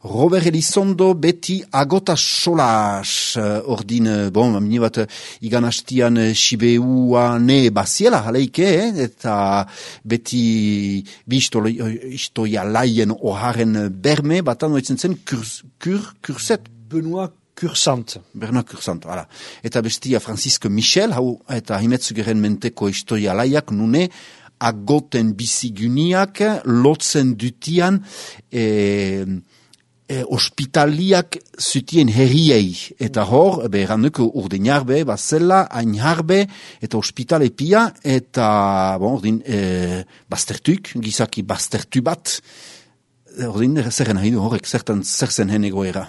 Robert Elizondo beti agota solas, ordin, mini bat, igan hastian Sibeua ne baziela, haleike, eta beti istoia laien oharen berme, batan oitzen zen kurset. Benoit Cursant. Benoit Cursant, voilà. Eta bestia Francisque Michel, hau, eta himetzugeren menteko istoia laiak, nune, agoten biziguniak, lotzen dutian, ospitaliak zutien herriei, eta hor, erranduko urdenarbe, bazela, ainharbe, eta ospitale pia, eta, ordin, baztertuk, gizaki baztertu bat, ordin, zerren nahi du horrek, zer zen hen egoera.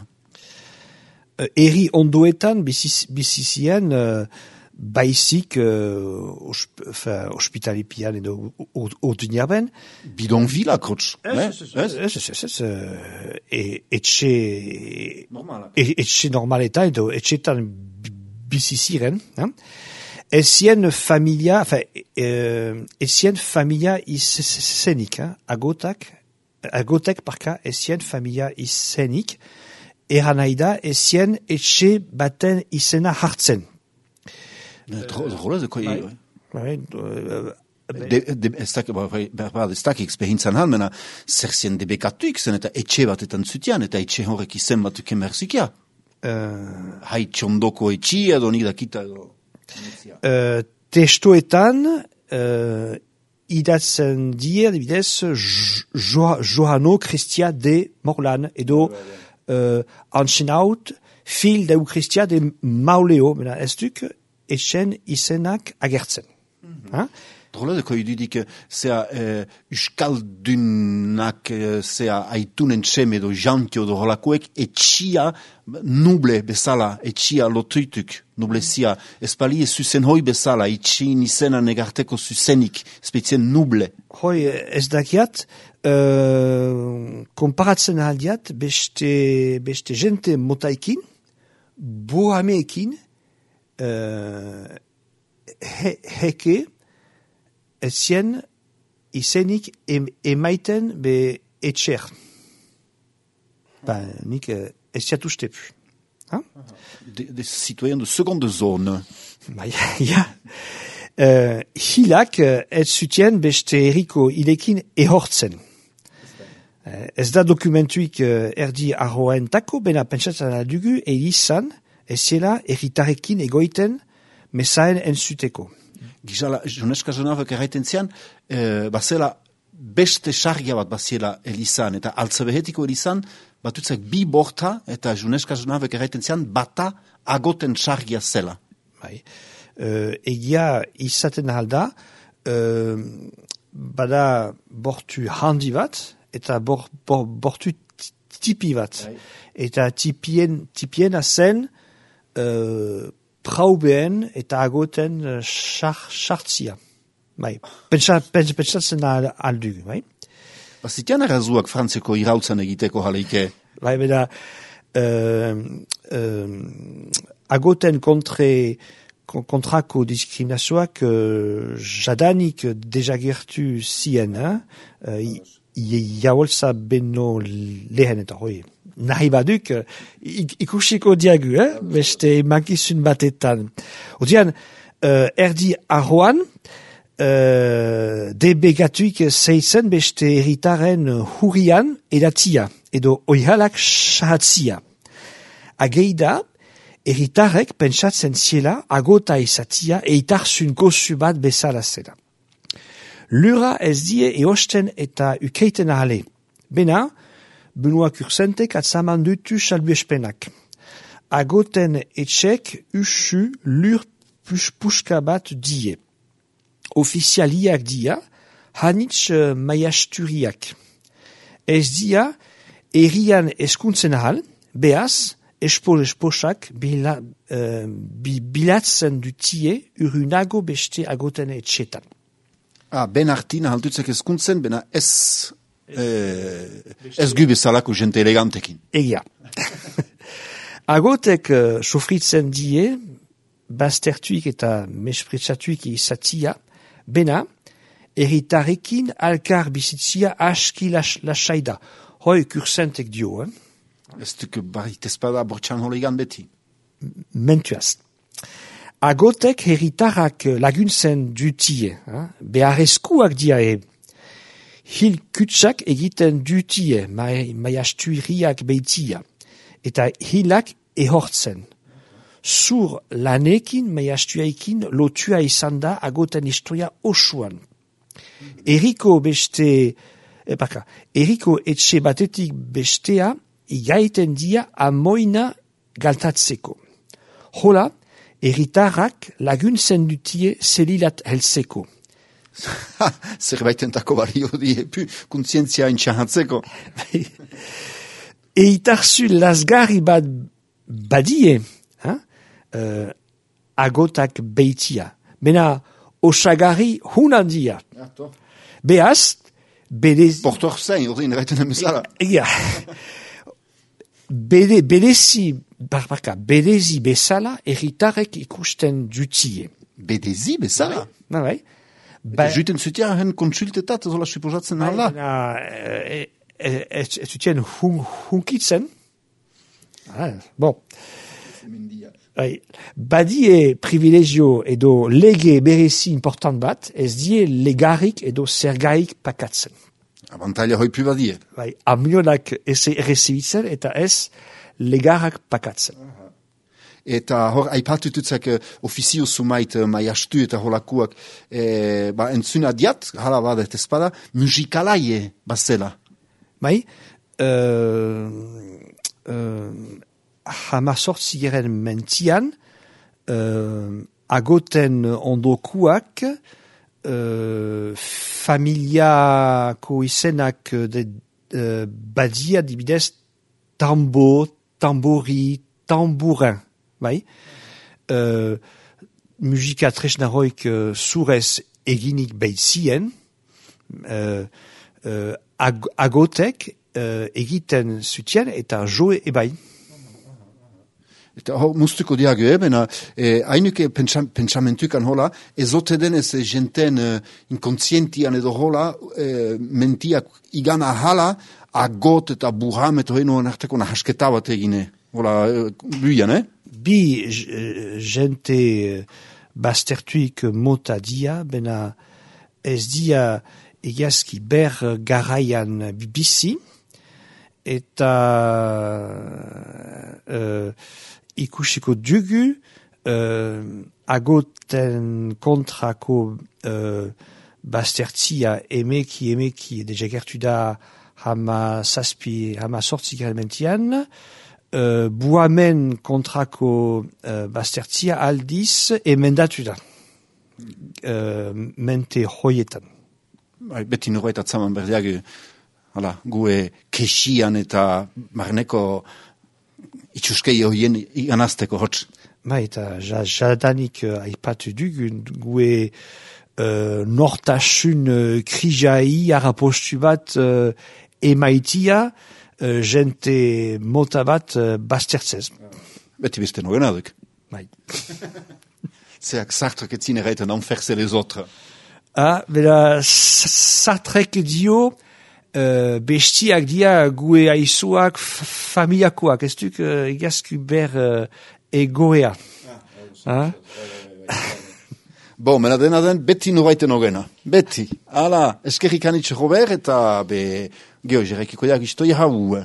Eri ondoetan bizizien baizik ospitalipian edo urduñarben. Bidonvila, krotz. Etxe normaletan edo etxetan biziziren. Ezien familia izenik, agotek parka, ezien familia izenik, eran nahi da, ezien etxe baten izena hartzen. Rola de koi... Ez dakik behintzan halmena, zer zien debekatuik zen, eta etxe batetan zutian, eta etxe horrek izen batuk emerzikia. Hai txondoko etxi edo nik dakita edo... Testoetan, idatzen die, adibidez, Johano Christia de Morlan, edo... Antzenaut, fil deu Christia de Mauleo, ez duk, etxen izenak agertzen. Drola deko idudik, zea uskaldunak, zea aitunen txem edo jantio do holakoek, etxia nuble bezala, etxia lotuituk, nublezia, espali zuzen hoi bezala, etxin izena negarteko zuzenik, spetzien nuble. Hoi, ez dakiat, konparatzen aldiat, beste jente motaikin, bohameekin, heke, ezien izenik emaiten be etxer. Nik eziat ustepu. Des citoyens de seconde zone. Ja. Hilak ez zutien beste eriko ilekin ehortzen. Ez da dokumentuik erdi arroentako, bena pentsatzen dugu elizan, eziela erritarekin egoiten mesaen entzuteko. Gizala, Joneska Jonavek erraiten zian, bazela beste sargia bat baziela elizan, eta altzabehetiko elizan, batutzak bi borta, eta Joneska Jonavek erraiten zian, bata agoten sargia zela. Egia izaten alda, bada bortu handi bat, eta bortu tipi bat. Eta tipiena zen praubeen eta agoten sartzia. Pentsatzen aldugu. Bazitian errazuak frantzeko irautzan egiteko jaleike? Beda, agoten kontrako diskriminazioak jadanik dejagertu zien, jaolza beno lehen eta hoi. Nahi baduk, ikusiko diagu, beste mankizun batetan. Odean, erdi arroan, debegatuik zeitzen beste erritaren hurrian edatzia, edo oihalak sahatzia. Ageida, erritarek pentsatzen ziela agota izatia eitarzun gozu bat bezala zela. Lura ez die eosten eta ukeiten ahale. Bena, Benoit Cursantek atzaman dutu salbuespenak. Agoten etxek usu lur puska bat die. Ofizialiak dia, hanitz maiasturiak. Ez dia, erian eskuntzen ahal, behaz, esposak bilatzen dutie urunago beste agoten etxetan. Ben hartin ahaltutzek eskuntzen, bena ez gubezalako jente elegantekin. Egia. Agotek sofritzen die, baztertuik eta mespretsatuik izatia, bena, erritarekin alkar bizitzia aski lasaida. Hoi Cursantek dio, Ez duk barit ezpada bortxan holegan beti. Mentuaz. Agotek herritarrak laguntzen dutie, beharrezkoak diae. Hil kutsak egiten dutie, maiastuiriak beitia, eta hilak ehortzen. Zur lanekin, maiastuaikin, lotua izan da agoten historia osoan. Eriko etxe batetik bestea, igaiten dia amoina galtatzeko. Hola, herritarrak laguntzen dutie zelilat heltzeko. Zerbaitentako balio diepu, kontzientzia intxahatzeko. Eitarzu lasgarri bat badie, agotak beitia. Bena osagarri hunandia. Beaz, Portor zein, ordin, gaiten emezala. Bedezi bezala erritarek ikusten dutie. Bedezi bezala? Bai. Juten zutia hen konsultetat, zola suposatzen hala? Ez zutien hunkitzen. Bon. Badie privilegio edo lege berezi important bat, ez die legarik edo zergaik pakatzen. Abantaila hoipu badie. Amionak ez errezibitzen eta ez legarak pakatzen. Eta hor, aipatututzak ofizio sumait maiastu eta holakuak entzuna diat, hala badet ezpada, musikalaie bazela. Bai, hamazortzigeren mentian, agoten ondokuak, familiako izenak badia dibidez tambori, tambourin, bai? Musika tresnaroik zurez eginik beitzien, agotek egiten zutien eta joe ebai. Eta hor, muztuko diago, bena, hainuke pentsamentukan hola, ezote denez jenten inkontzientian edo hola, mentiak igana hala, agot eta burham eta heno narteko nahasketa bat egine. Hola, buian, Bi jente baztertuik mota dia, bena ez dia egiazki ber garaian bizi, eta ikusiko dugu agoten kontrako baztertzia emeki dejagertu da hama sortzi mentian, buamen kontrako baztertzia aldiz emendatu da mente hoietan. Beti norbait atzaman berdiak gue kesian eta marneko itxuskei horien iganazteko hotz. Eta jadanik aipatu dugu gue nortasun krijai arapostu bat emaitia jente mota bat baztertzez. Beti beste nogena duk. Zeak Sartrek etzine reiten enferse les autres. Bera Sartrek dio bestiak dia gue aizuak familiakoak, ez duk egazku ber egoea. Bo, mena dena den, beti noraiten ogena. Beti. Hala, eskerrik anitxe Robert eta geho, jerekiko jak istoia hau.